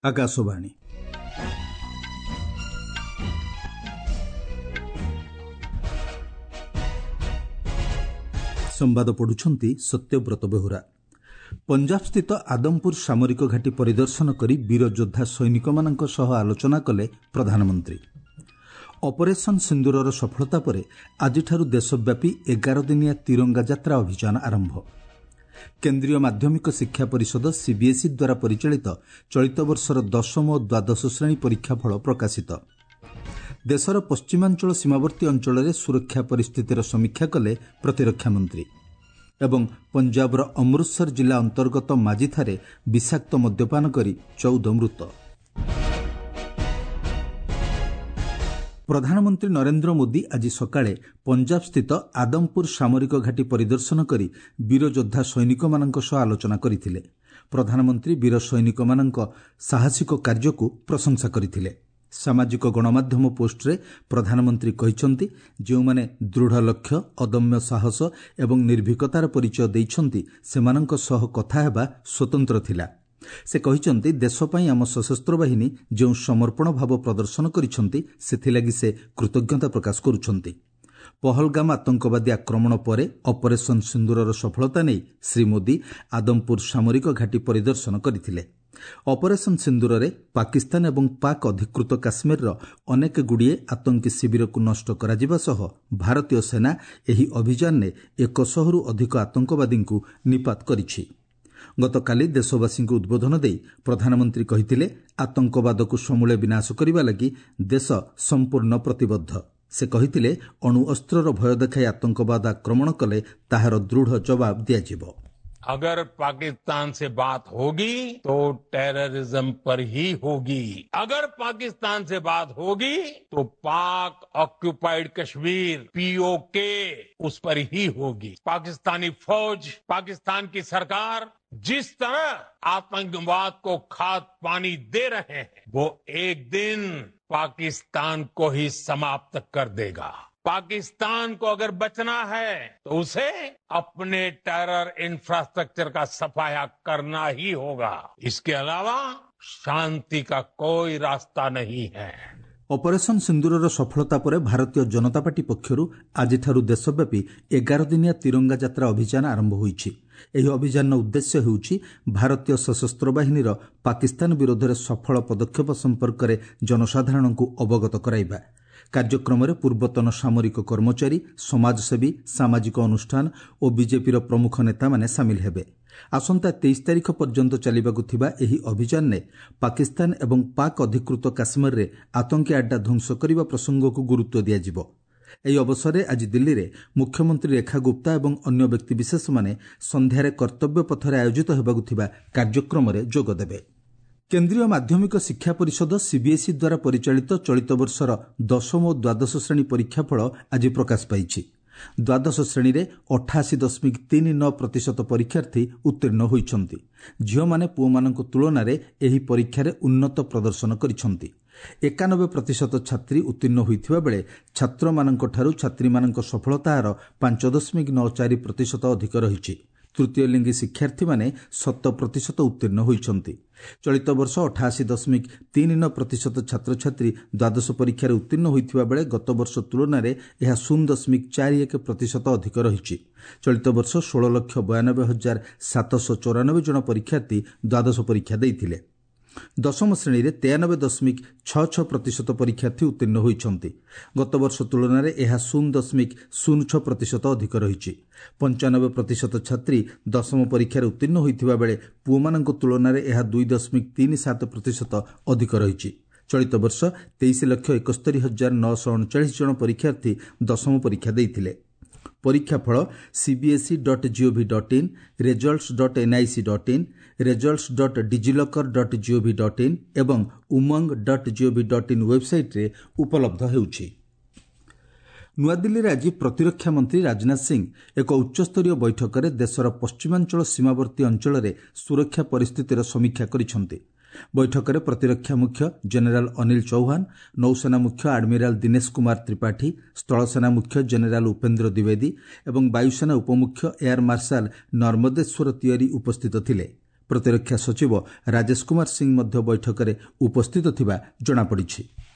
ଆକାଶବାଣୀ। ସମ୍ବାଦ ପଢୁଛନ୍ତି ସତ୍ୟବ୍ରତ ବେହୁରା। ପଞ୍ଜାବସ୍ଥିତ ଆଦମପୁର ସାମରିକ ଘାଟି ପରିଦର୍ଶନ କରି ବୀର ଯୋଦ୍ଧା ସୈନିକମାନଙ୍କ ସହ ଆଲୋଚନା କଲେ ପ୍ରଧାନମନ୍ତ୍ରୀ। ଅପରେସନ୍ ସିନ୍ଦୁରର ସଫଳତା ପରେ ଆଜିଠାରୁ ଦେଶବ୍ୟାପୀ 11 ଦିନିଆ ତିରଙ୍ଗା ଯାତ୍ରା ଅଭିଯାନ ଆରମ୍ଭ। କେନ୍ଦ୍ରୀୟ ମାଧ୍ୟମିକ ଶିକ୍ଷା ପରିଷଦ ସିବିଏସ୍ଇ ଦ୍ୱାରା ପରିଚାଳିତ ଚଳିତ ବର୍ଷର ଦଶମ ଓ ଦ୍ୱାଦଶ ଶ୍ରେଣୀ ପରୀକ୍ଷାଫଳ ପ୍ରକାଶିତ। ଦେଶର ପଶ୍ଚିମାଞ୍ଚଳ ସୀମାବର୍ତ୍ତୀ ଅଞ୍ଚଳରେ ସୁରକ୍ଷା ପରିସ୍ଥିତିର ସମୀକ୍ଷା କଲେ ପ୍ରତିରକ୍ଷା ମନ୍ତ୍ରୀ। ଏବଂ ପଞ୍ଜାବର ଅମୃତସର ଜିଲ୍ଲା ଅନ୍ତର୍ଗତ ମାଜିଥାରେ ବିଷାକ୍ତ ମଦ୍ୟପାନ କରି 14 ମୃତ। ପ୍ରଧାନମନ୍ତ୍ରୀ ନରେନ୍ଦ୍ର ମୋଦି ଆଜି ସକାଳେ ପଞ୍ଜାବସ୍ଥିତ ଆଦମପୁର ସାମରିକ ଘାଟି ପରିଦର୍ଶନ କରି ବୀରଯୋଦ୍ଧା ସୈନିକମାନଙ୍କ ସହ ଆଲୋଚନା କରିଥିଲେ। ପ୍ରଧାନମନ୍ତ୍ରୀ ବୀର ସୈନିକମାନଙ୍କ ସାହସିକ କାର୍ଯ୍ୟକୁ ପ୍ରଶଂସା କରିଥିଲେ। ସାମାଜିକ ଗଣମାଧ୍ୟମ ପୋଷ୍ଟରେ ପ୍ରଧାନମନ୍ତ୍ରୀ କହିଛନ୍ତି, ଯେଉଁମାନେ ଦୃଢ଼ ଲକ୍ଷ୍ୟ, ଅଦମ୍ୟ ସାହସ ଏବଂ ନିର୍ଭୀକତାର ପରିଚୟ ଦେଇଛନ୍ତି, ସେମାନଙ୍କ ସହ କଥା ହେବା ସ୍ୱତନ୍ତ୍ର ଥିଲା। ସେ କହିଛନ୍ତି, ଦେଶ ପାଇଁ ଆମ ସଶସ୍ତ୍ର ବାହିନୀ ଯେଉଁ ସମର୍ପଣ ଭାବ ପ୍ରଦର୍ଶନ କରିଛନ୍ତି, ସେଥିଲାଗି ସେ କୃତଜ୍ଞତା ପ୍ରକାଶ କରୁଛନ୍ତି। ପହଲଗାମ ଆତଙ୍କବାଦୀ ଆକ୍ରମଣ ପରେ ଅପରେସନ୍ ସିନ୍ଦୁରର ସଫଳତା ନେଇ ଶ୍ରୀ ମୋଦି ଆଦମପୁର ସାମରିକ ଘାଟି ପରିଦର୍ଶନ କରିଥିଲେ। ଅପରେସନ୍ ସିନ୍ଦୁରରେ ପାକିସ୍ତାନ ଏବଂ ପାକ୍ ଅଧିକୃତ କାଶ୍ମୀରର ଅନେକଗୁଡ଼ିଏ ଆତଙ୍କୀ ଶିବିରକୁ ନଷ୍ଟ କରାଯିବା ସହ ଭାରତୀୟ ସେନା ଏହି ଅଭିଯାନରେ 100ରୁ ଅଧିକ ଆତଙ୍କବାଦୀଙ୍କୁ ନିପାତ କରିଛି। ଗତକାଲି ଦେଶବାସୀଙ୍କୁ ଉଦ୍ବୋଧନ ଦେଇ ପ୍ରଧାନମନ୍ତ୍ରୀ କହିଥିଲେ, ଆତଙ୍କବାଦକୁ ସମୂଳେ ବିନାଶ କରିବା ଲାଗି ଦେଶ ସମ୍ପୂର୍ଣ୍ଣ ପ୍ରତିବଦ୍ଧ। ସେ କହିଥିଲେ, ଅଣୁଅସ୍ତ୍ରର ଭୟ ଦେଖାଇ ଆତଙ୍କବାଦ ଆକ୍ରମଣ କଲେ ତାହାର ଦୃଢ଼ ଜବାବ ଦିଆଯିବ। अगर पाकिस्तान से बात होगी तो टेररिज्म पर ही होगी। अगर पाकिस्तान से बात होगी तो पाक ऑक्यूपाइड कश्मीर पीओके उस पर ही होगी। पाकिस्तानी फौज, पाकिस्तान की सरकार जिस तरह आतंकवाद को खाद पानी दे रहे हैं, वो एक दिन पाकिस्तान को ही समाप्त कर देगा। पाकिस्तान को अगर बचना है तो उसे अपने टेरर इंफ्रास्ट्रक्चर का सफाया करना ही होगा। इसके अलावा शांति का कोई रास्ता नहीं है। ଅପରେସନ୍ ସିନ୍ଦୁରର ସଫଳତା ପରେ ଭାରତୀୟ ଜନତା ପାର୍ଟି ପକ୍ଷରୁ ଆଜିଠାରୁ ଦେଶବ୍ୟାପୀ 11 ଦିନିଆ ତିରଙ୍ଗା ଯାତ୍ରା ଅଭିଯାନ ଆରମ୍ଭ ହୋଇଛି। ଏହି ଅଭିଯାନର ଉଦ୍ଦେଶ୍ୟ ହେଉଛି ଭାରତୀୟ ସଶସ୍ତ୍ର ବାହିନୀର ପାକିସ୍ତାନ ବିରୋଧରେ ସଫଳ ପଦକ୍ଷେପ ସମ୍ପର୍କରେ ଜନସାଧାରଣଙ୍କୁ ଅବଗତ କରାଇବା। କାର୍ଯ୍ୟକ୍ରମରେ ପୂର୍ବତନ ସାମରିକ କର୍ମଚାରୀ, ସମାଜସେବୀ, ସାମାଜିକ ଅନୁଷ୍ଠାନ ଓ ବିଜେପିର ପ୍ରମୁଖ ନେତାମାନେ ସାମିଲ ହେବେ। ଆସନ୍ତା 23 ତାରିଖ ପର୍ଯ୍ୟନ୍ତ ଚାଲିବାକୁ ଥିବା ଏହି ଅଭିଯାନରେ ପାକିସ୍ତାନ ଏବଂ ପାକ୍ ଅଧିକୃତ କାଶ୍ମୀରରେ ଆତଙ୍କୀ ଆଡ୍ଡା ଧ୍ୱଂସ କରିବା ପ୍ରସଙ୍ଗକୁ ଗୁରୁତ୍ୱ ଦିଆଯିବ। ଏହି ଅବସରରେ ଆଜି ଦିଲ୍ଲୀରେ ମୁଖ୍ୟମନ୍ତ୍ରୀ ରେଖା ଗୁପ୍ତା ଏବଂ ଅନ୍ୟ ବ୍ୟକ୍ତିବିଶେଷମାନେ ସନ୍ଧ୍ୟାରେ କର୍ତ୍ତବ୍ୟ ପଥରେ ଆୟୋଜିତ ହେବାକୁ ଥିବା କାର୍ଯ୍ୟକ୍ରମରେ ଯୋଗଦେବେ। କେନ୍ଦ୍ରୀୟ ମାଧ୍ୟମିକ ଶିକ୍ଷା ପରିଷଦ ସିବିଏସ୍ଇ ଦ୍ୱାରା ପରିଚାଳିତ ଚଳିତ ବର୍ଷର ଦଶମ ଓ ଦ୍ୱାଦଶ ଶ୍ରେଣୀ ପରୀକ୍ଷାଫଳ ଆଜି ପ୍ରକାଶ ପାଇଛି। ଦ୍ୱାଦଶ ଶ୍ରେଣୀରେ 88.39% ପରୀକ୍ଷାର୍ଥୀ ଉତ୍ତୀର୍ଣ୍ଣ ହୋଇଛନ୍ତି। ଝିଅମାନେ ପୁଅମାନଙ୍କ ତୁଳନାରେ ଏହି ପରୀକ୍ଷାରେ ଉନ୍ନତ ପ୍ରଦର୍ଶନ କରିଛନ୍ତି। 91% ଛାତ୍ରୀ ଉତ୍ତୀର୍ଣ୍ଣ ହୋଇଥିବା ବେଳେ ଛାତ୍ରମାନଙ୍କଠାରୁ ଛାତ୍ରୀମାନଙ୍କ ସଫଳତା ହାର 5.94% ଅଧିକ ରହିଛି। ତୃତୀୟ ଲିଙ୍ଗୀ ଶିକ୍ଷାର୍ଥୀମାନେ 100% ଉତ୍ତୀର୍ଣ୍ଣ ହୋଇଛନ୍ତି। ଚଳିତ ବର୍ଷ 88.39% ଛାତ୍ରଛାତ୍ରୀ ଦ୍ୱାଦଶ ପରୀକ୍ଷାରେ ଉତ୍ତୀର୍ଣ୍ଣ ହୋଇଥିବା ବେଳେ ଗତବର୍ଷ ତୁଳନାରେ ଏହା 0.41% ଅଧିକ ରହିଛି। ଚଳିତ ବର୍ଷ 16,92,794 ଜଣ ପରୀକ୍ଷାର୍ଥୀ ଦ୍ୱାଦଶ ପରୀକ୍ଷା ଦେଇଥିଲେ। ଦଶମ ଶ୍ରେଣୀରେ 93.66% ପରୀକ୍ଷାର୍ଥୀ ଉତ୍ତୀର୍ଣ୍ଣ ହୋଇଛନ୍ତି। ଗତବର୍ଷ ତୁଳନାରେ ଏହା 0.06% ଅଧିକ ରହିଛି। 95% ଛାତ୍ରୀ ଦଶମ ପରୀକ୍ଷାରେ ଉତ୍ତୀର୍ଣ୍ଣ ହୋଇଥିବା ବେଳେ ପୁଅମାନଙ୍କ ତୁଳନାରେ ଏହା 2.37% ଅଧିକ ରହିଛି। ଚଳିତ ବର୍ଷ 23,71,939 ଜଣ ପରୀକ୍ଷାର୍ଥୀ ଦଶମ ପରୀକ୍ଷା ଦେଇଥିଲେ। ପରୀକ୍ଷାଫଳ CBSE dot gov dot in, results dot NIC dot in, results dot DigiLocker dot gov dot in ଏବଂ Umang dot gov dot in ୱେବ୍ସାଇଟ୍ରେ ଉପଲବ୍ଧ ହେଉଛି। ନୂଆଦିଲ୍ଲୀରେ ଆଜି ପ୍ରତିରକ୍ଷା ମନ୍ତ୍ରୀ ରାଜନାଥ ସିଂ ଏକ ଉଚ୍ଚସ୍ତରୀୟ ବୈଠକରେ ଦେଶର ପଶ୍ଚିମାଞ୍ଚଳ ସୀମାବର୍ତ୍ତୀ ଅଞ୍ଚଳରେ ସୁରକ୍ଷା ପରିସ୍ଥିତିର ସମୀକ୍ଷା କରିଛନ୍ତି। ବୈଠକରେ ପ୍ରତିରକ୍ଷା ମୁଖ୍ୟ ଜେନେରାଲ ଅନିଲ ଚୌହାନ, ନୌସେନା ମୁଖ୍ୟ ଆଡମିରାଲ ଦିନେଶ କୁମାର ତ୍ରିପାଠୀ, ସ୍ଥଳସେନା ମୁଖ୍ୟ ଜେନେରାଲ ଉପେନ୍ଦ୍ର ଦ୍ୱିବେଦୀ ଏବଂ ବାୟୁସେନା ଉପମୁଖ୍ୟ ଏୟାର ମାର୍ଶାଲ ନର୍ମଦେଶ୍ୱର ତିୱାରୀ ଉପସ୍ଥିତ ଥିଲେ। ପ୍ରତିରକ୍ଷା ସଚିବ ରାଜେଶ କୁମାର ସିଂ ମଧ୍ୟ ବୈଠକରେ ଉପସ୍ଥିତ ଥିବା ଜଣାପଡ଼ିଛି।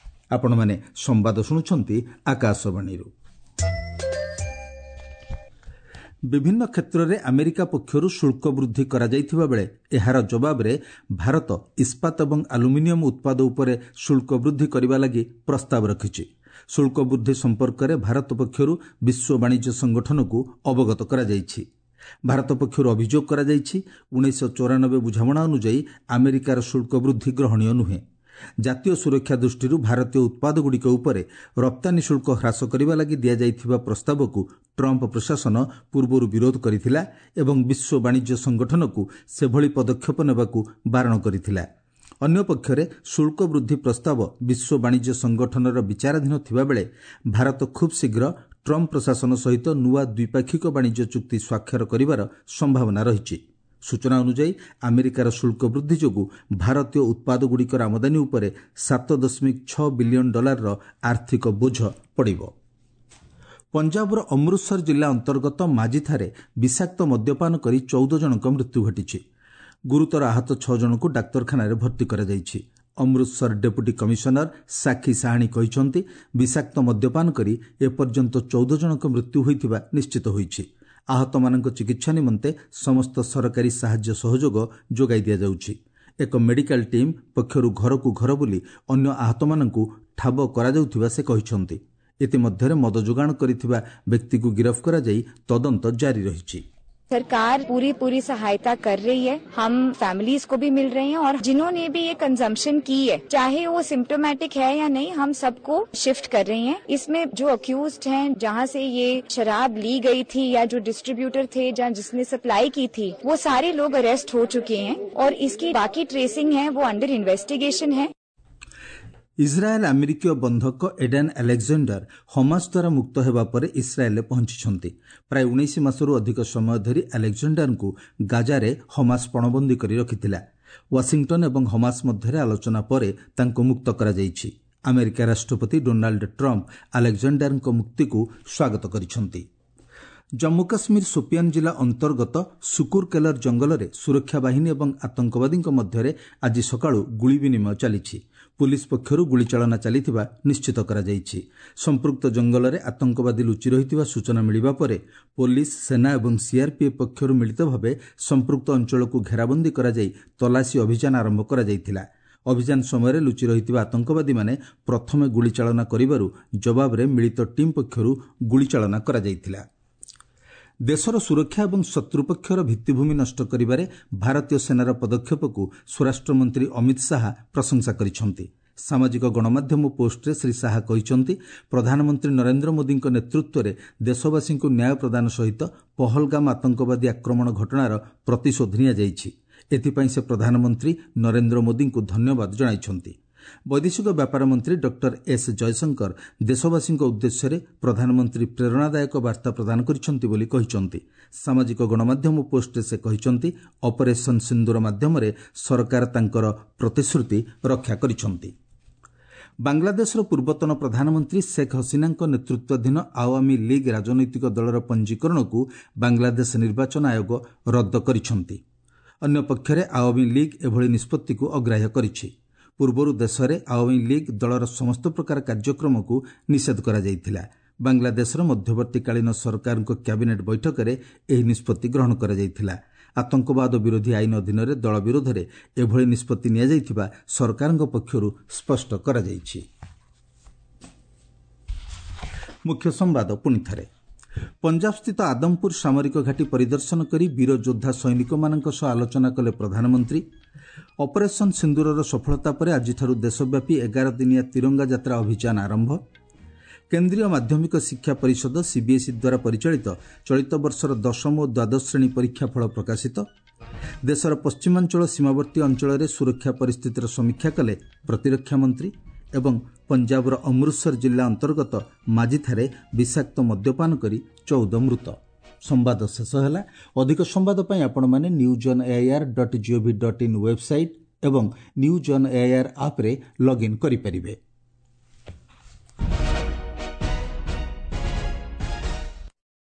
ଆପଣମାନେ ସମ୍ବାଦ ଶୁଣୁଛନ୍ତି ଆକାଶବାଣୀରୁ। ବିଭିନ୍ନ କ୍ଷେତ୍ରରେ ଆମେରିକା ପକ୍ଷରୁ ଶୁଳ୍କ ବୃଦ୍ଧି କରାଯାଇଥିବା ବେଳେ ଏହାର ଜବାବରେ ଭାରତ ଇସ୍ପାତ ଏବଂ ଆଲୁମିନିୟମ ଉତ୍ପାଦ ଉପରେ ଶୁଳ୍କ ବୃଦ୍ଧି କରିବା ଲାଗି ପ୍ରସ୍ତାବ ରଖିଛି। ଶୁଳ୍କ ବୃଦ୍ଧି ସମ୍ପର୍କରେ ଭାରତ ପକ୍ଷରୁ ବିଶ୍ୱ ବାଣିଜ୍ୟ ସଂଗଠନକୁ ଅବଗତ କରାଯାଇଛି। ଭାରତ ପକ୍ଷରୁ ଅଭିଯୋଗ କରାଯାଇଛି, 1994 ବୁଝାମଣା ଅନୁଯାୟୀ ଆମେରିକାର ଶୁଳ୍କ ବୃଦ୍ଧି ଗ୍ରହଣୀୟ ନୁହେଁ। ଜାତୀୟ ସୁରକ୍ଷା ଦୃଷ୍ଟିରୁ ଭାରତୀୟ ଉତ୍ପାଦଗୁଡ଼ିକ ଉପରେ ରପ୍ତାନୀ ଶୁଳ୍କ ହ୍ରାସ କରିବା ଲାଗି ଦିଆଯାଇଥିବା ପ୍ରସ୍ତାବକୁ ଟ୍ରମ୍ପ ପ୍ରଶାସନ ପୂର୍ବରୁ ବିରୋଧ କରିଥିଲା ଏବଂ ବିଶ୍ୱ ବାଣିଜ୍ୟ ସଂଗଠନକୁ ସେଭଳି ପଦକ୍ଷେପ ନେବାକୁ ବାରଣ କରିଥିଲା। ଅନ୍ୟପକ୍ଷରେ ଶୁଳ୍କ ବୃଦ୍ଧି ପ୍ରସ୍ତାବ ବିଶ୍ୱ ବାଣିଜ୍ୟ ସଂଗଠନର ବିଚାରାଧୀନ ଥିବାବେଳେ ଭାରତ ଖୁବ୍ ଶୀଘ୍ର ଟ୍ରମ୍ପ ପ୍ରଶାସନ ସହିତ ନୂଆ ଦ୍ୱିପାକ୍ଷିକ ବାଣିଜ୍ୟ ଚୁକ୍ତି ସ୍ୱାକ୍ଷର କରିବାର ସମ୍ଭାବନା ରହିଛି। ସୂଚନା ଅନୁଯାୟୀ, ଆମେରିକାର ଶୁଳ୍କ ବୃଦ୍ଧି ଯୋଗୁଁ ଭାରତୀୟ ଉତ୍ପାଦଗୁଡ଼ିକର ଆମଦାନୀ ଉପରେ 7.6 ବିଲିୟନ ଡଲାରର ଆର୍ଥିକ ବୋଝ ପଡ଼ିବ। ପଞ୍ଜାବର ଅମୃତସର ଜିଲ୍ଲା ଅନ୍ତର୍ଗତ ମାଜିଠାରେ ବିଷାକ୍ତ ମଦ୍ୟପାନ କରି 14 ଜଣଙ୍କ ମୃତ୍ୟୁ ଘଟିଛି। ଗୁରୁତର ଆହତ 6 ଜଣଙ୍କୁ ଡାକ୍ତରଖାନାରେ ଭର୍ତ୍ତି କରାଯାଇଛି। ଅମୃତସର ଡେପୁଟି କମିଶନର ସାକ୍ଷୀ ସାହାଣୀ କହିଛନ୍ତି, ବିଷାକ୍ତ ମଦ୍ୟପାନ କରି ଏପର୍ଯ୍ୟନ୍ତ 14 ଜଣଙ୍କ ମୃତ୍ୟୁ ହୋଇଥିବା ନିଶ୍ଚିତ ହୋଇଛି। ଆହତମାନଙ୍କ ଚିକିତ୍ସା ନିମନ୍ତେ ସମସ୍ତ ସରକାରୀ ସାହାଯ୍ୟ ସହଯୋଗ ଯୋଗାଇ ଦିଆଯାଉଛି। ଏକ ମେଡିକାଲ ଟିମ୍ ପକ୍ଷରୁ ଘରକୁ ଘର ବୁଲି ଅନ୍ୟ ଆହତମାନଙ୍କୁ ଠାବ କରାଯାଉଥିବା ସେ କହିଛନ୍ତି। ଇତିମଧ୍ୟରେ ମଦ ଯୋଗାଣ କରିଥିବା ବ୍ୟକ୍ତିକୁ ଗିରଫ କରାଯାଇ ତଦନ୍ତ ଜାରି ରହିଛି। सरकार पूरी पूरी सहायता कर रही है। हम फैमिलीज को भी मिल रहे हैं और जिन्होंने भी ये कंजम्पशन की है, चाहे वो सिम्टोमेटिक है या नहीं, हम सबको शिफ्ट कर रहे हैं। इसमें जो अक्यूज्ड हैं, जहाँ से ये शराब ली गई थी या जो डिस्ट्रीब्यूटर थे, जहाँ जिसने सप्लाई की थी, वो सारे लोग अरेस्ट हो चुके हैं और इसकी बाकी ट्रेसिंग है वो अंडर इन्वेस्टिगेशन है। ଇସ୍ରାଏଲ୍ ଆମେରିକୀୟ ବନ୍ଧକ ଏଡେନ୍ ଆଲେକ୍ଜାଣ୍ଡାର ହମାସ ଦ୍ୱାରା ମୁକ୍ତ ହେବା ପରେ ଇସ୍ରାଏଲ୍ରେ ପହଞ୍ଚିଛନ୍ତି। ପ୍ରାୟ 19 ମାସରୁ ଅଧିକ ସମୟ ଧରି ଆଲେକ୍ଜାଣ୍ଡାରଙ୍କୁ ଗାଜାରେ ହମାସ ପଣବନ୍ଦୀ କରି ରଖିଥିଲା। ୱାଶିଂଟନ୍ ଏବଂ ହମାସ ମଧ୍ୟରେ ଆଲୋଚନା ପରେ ତାଙ୍କୁ ମୁକ୍ତ କରାଯାଇଛି। ଆମେରିକା ରାଷ୍ଟ୍ରପତି ଡୋନାଲ୍ଡ ଟ୍ରମ୍ପ ଆଲେକ୍ଜାଣ୍ଡାରଙ୍କ ମୁକ୍ତିକୁ ସ୍ୱାଗତ କରିଛନ୍ତି। ଜମ୍ମୁ କାଶ୍ମୀର ସୋପିଆନ୍ ଜିଲ୍ଲା ଅନ୍ତର୍ଗତ ସୁକୁରକେଲର ଜଙ୍ଗଲରେ ସୁରକ୍ଷା ବାହିନୀ ଏବଂ ଆତଙ୍କବାଦୀଙ୍କ ମଧ୍ୟରେ ଆଜି ସକାଳୁ ଗୁଳି ବିନିମୟ ଚାଲିଛି। ପୁଲିସ୍ ପକ୍ଷରୁ ଗୁଳିଚାଳନା ଚାଲିଥିବା ନିଶ୍ଚିତ କରାଯାଇଛି। ସମ୍ପୃକ୍ତ ଜଙ୍ଗଲରେ ଆତଙ୍କବାଦୀ ଲୁଚି ରହିଥିବା ସୂଚନା ମିଳିବା ପରେ ପୋଲିସ, ସେନା ଏବଂ ସିଆର୍ପିଏଫ୍ ପକ୍ଷରୁ ମିଳିତ ଭାବେ ସମ୍ପୃକ୍ତ ଅଞ୍ଚଳକୁ ଘେରାବନ୍ଦୀ କରାଯାଇ ତଲାସୀ ଅଭିଯାନ ଆରମ୍ଭ କରାଯାଇଥିଲା। ଅଭିଯାନ ସମୟରେ ଲୁଚି ରହିଥିବା ଆତଙ୍କବାଦୀମାନେ ପ୍ରଥମେ ଗୁଳିଚାଳନା କରିବାରୁ ଜବାବରେ ମିଳିତ ଟିମ୍ ପକ୍ଷରୁ ଗୁଳିଚାଳନା କରାଯାଇଥିଲା। ଦେଶର ସୁରକ୍ଷା ଏବଂ ଶତ୍ରୁପକ୍ଷର ଭିତ୍ତିଭୂମି ନଷ୍ଟ କରିବାରେ ଭାରତୀୟ ସେନାର ପଦକ୍ଷେପକୁ ସ୍ୱରାଷ୍ଟ୍ରମନ୍ତ୍ରୀ ଅମିତ ଶାହା ପ୍ରଶଂସା କରିଛନ୍ତି। ସାମାଜିକ ଗଣମାଧ୍ୟମ ପୋଷ୍ଟରେ ଶ୍ରୀ ଶାହା କହିଛନ୍ତି, ପ୍ରଧାନମନ୍ତ୍ରୀ ନରେନ୍ଦ୍ର ମୋଦିଙ୍କ ନେତୃତ୍ୱରେ ଦେଶବାସୀଙ୍କୁ ନ୍ୟାୟ ପ୍ରଦାନ ସହିତ ପହଲଗାମ ଆତଙ୍କବାଦୀ ଆକ୍ରମଣ ଘଟଣାର ପ୍ରତିଶୋଧ ନିଆଯାଇଛି। ଏଥିପାଇଁ ସେ ପ୍ରଧାନମନ୍ତ୍ରୀ ନରେନ୍ଦ୍ର ମୋଦିଙ୍କୁ ଧନ୍ୟବାଦ ଜଣାଇଛନ୍ତି। ବୈଦେଶିକ ବ୍ୟାପାର ମନ୍ତ୍ରୀ ଡକ୍ଟର ଏସ୍ ଜୟଶଙ୍କର ଦେଶବାସୀଙ୍କ ଉଦ୍ଦେଶ୍ୟରେ ପ୍ରଧାନମନ୍ତ୍ରୀ ପ୍ରେରଣାଦାୟକ ବାର୍ତ୍ତା ପ୍ରଦାନ କରିଛନ୍ତି ବୋଲି କହିଛନ୍ତି। ସାମାଜିକ ଗଣମାଧ୍ୟମ ପୋଷ୍ଟରେ ସେ କହିଛନ୍ତି, ଅପରେସନ୍ ସିନ୍ଦୁର ମାଧ୍ୟମରେ ସରକାର ତାଙ୍କର ପ୍ରତିଶ୍ରୁତି ରକ୍ଷା କରିଛନ୍ତି। ବାଂଲାଦେଶର ପୂର୍ବତନ ପ୍ରଧାନମନ୍ତ୍ରୀ ଶେଖ୍ ହସିନାଙ୍କ ନେତୃତ୍ୱାଧୀନ ଆୱାମୀ ଲିଗ୍ ରାଜନୈତିକ ଦଳର ପଞ୍ଜୀକରଣକୁ ବାଂଲାଦେଶ ନିର୍ବାଚନ ଆୟୋଗ ରଦ୍ଦ କରିଛନ୍ତି। ଅନ୍ୟପକ୍ଷରେ ଆୱାମୀ ଲିଗ୍ ଏଭଳି ନିଷ୍ପତ୍ତିକୁ ଅଗ୍ରାହ୍ୟ କରିଛି। ପୂର୍ବରୁ ଦେଶରେ ଆୱାମୀ ଲିଗ୍ ଦଳର ସମସ୍ତ ପ୍ରକାର କାର୍ଯ୍ୟକ୍ରମକୁ ନିଷେଧ କରାଯାଇଥିଲା। ବାଂଲାଦେଶର ମଧ୍ୟବର୍ତ୍ତୀକାଳୀନ ସରକାରଙ୍କ କ୍ୟାବିନେଟ୍ ବୈଠକରେ ଏହି ନିଷ୍ପତ୍ତି ଗ୍ରହଣ କରାଯାଇଥିଲା। ଆତଙ୍କବାଦ ବିରୋଧୀ ଆଇନ ଅଧୀନରେ ଦଳ ବିରୋଧରେ ଏଭଳି ନିଷ୍ପତ୍ତି ନିଆଯାଇଥିବା ସରକାରଙ୍କ ପକ୍ଷରୁ ସ୍ପଷ୍ଟ କରାଯାଇଛି। ମୁଖ୍ୟ ସମ୍ବାଦ ପୁଣିଥରେ। ପଞ୍ଜାବସ୍ଥିତ ଆଦମପୁର ସାମରିକ ଘାଟି ପରିଦର୍ଶନ କରି ବୀର ଯୋଦ୍ଧା ସୈନିକମାନଙ୍କ ସହ ଆଲୋଚନା କଲେ ପ୍ରଧାନମନ୍ତ୍ରୀ। ଅପରେସନ୍ ସିନ୍ଦୁରର ସଫଳତା ପରେ ଆଜିଠାରୁ ଦେଶବ୍ୟାପୀ 11 ଦିନିଆ ତିରଙ୍ଗା ଯାତ୍ରା ଅଭିଯାନ ଆରମ୍ଭ। କେନ୍ଦ୍ରୀୟ ମାଧ୍ୟମିକ ଶିକ୍ଷା ପରିଷଦ ସିବିଏସ୍ଇ ଦ୍ୱାରା ପରିଚାଳିତ ଚଳିତ ବର୍ଷର ଦଶମ ଓ ଦ୍ୱାଦଶ ଶ୍ରେଣୀ ପରୀକ୍ଷା ଫଳ ପ୍ରକାଶିତ। ଦେଶର ପଶ୍ଚିମାଞ୍ଚଳ ସୀମାବର୍ତ୍ତୀ ଅଞ୍ଚଳରେ ସୁରକ୍ଷା ପରିସ୍ଥିତିର ସମୀକ୍ଷା କଲେ ପ୍ରତିରକ୍ଷା ମନ୍ତ୍ରୀ। ଏବଂ ପଞ୍ଜାବର ଅମୃତସର ଜିଲ୍ଲା ଅନ୍ତର୍ଗତ ମାଜିଠାରେ ବିଷାକ୍ତ ମଦ୍ୟପାନ କରି 14 ମୃତ। ସମ୍ବାଦ ଶେଷ ହେଲା। ଅଧିକ ସମ୍ବାଦ ପାଇଁ ଆପଣମାନେ news on AIR dot gov dot in website ଏବଂ ନ୍ୟୁଜ୍ ଅନ୍ ଏଆଇଆର୍ ଆପ୍ରେ ଲଗ୍ଇନ୍ କରିପାରିବେ।